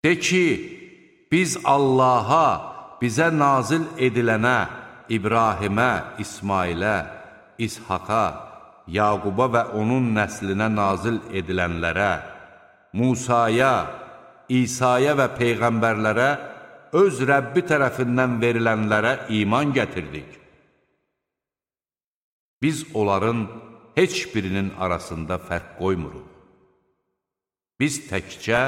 De ki, biz Allaha, bizə nazil edilənə, İbrahimə, İsmailə, İshaqa, Yaquba və onun nəslinə nazil edilənlərə, Musaya, İsa'ya və Peyğəmbərlərə, öz Rəbbi tərəfindən verilənlərə iman gətirdik. Biz onların heç birinin arasında fərq qoymuruq. Biz təkcə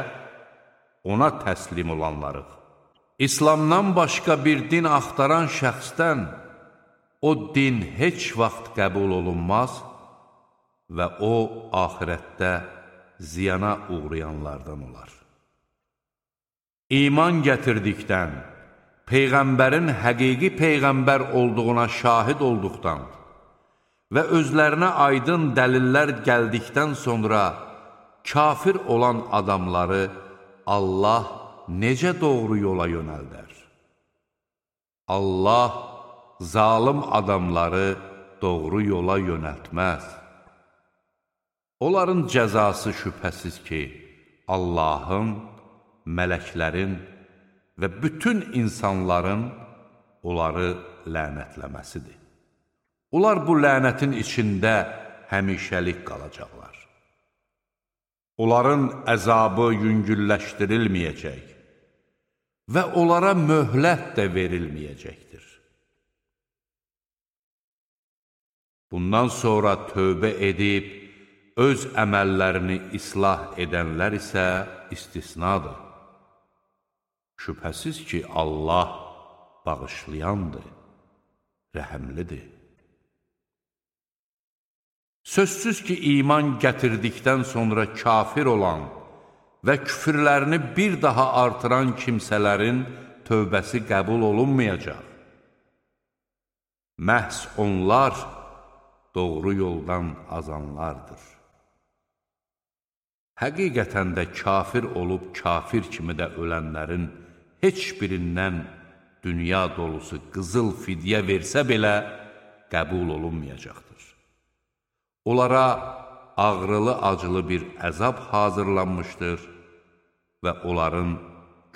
ona təslim olanlarıq. İslamdan başqa bir din axtaran şəxsdən o din heç vaxt qəbul olunmaz və o, axirətdə ziyana uğrayanlardan olar. İman gətirdikdən, Peyğəmbərin həqiqi Peyğəmbər olduğuna şahid olduqdan və özlərinə aydın dəlillər gəldikdən sonra kafir olan adamları Allah necə doğru yola yönəldər? Allah zalım adamları doğru yola yönəltməz. Onların cəzası şübhəsiz ki, Allahın, mələklərin və bütün insanların onları lənətləməsidir. Onlar bu lənətin içində həmişəlik qalacaqlar. Onların əzabı yüngülləşdirilməyəcək və onlara möhlət də verilməyəcəkdir. Bundan sonra tövbə edib, öz əməllərini islah edənlər isə istisnadır. Şübhəsiz ki, Allah bağışlayandır, rəhəmlidir. Sözsüz ki, iman gətirdikdən sonra kafir olan və küfürlərini bir daha artıran kimsələrin tövbəsi qəbul olunmayacaq. Məhz onlar doğru yoldan azanlardır. Həqiqətən də kafir olub kafir kimi də ölənlərin heç birindən dünya dolusu qızıl fidyə versə belə qəbul olunmayacaqdır. Onlara ağrılı-acılı bir əzab hazırlanmışdır və onların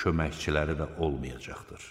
köməkçiləri də olmayacaqdır.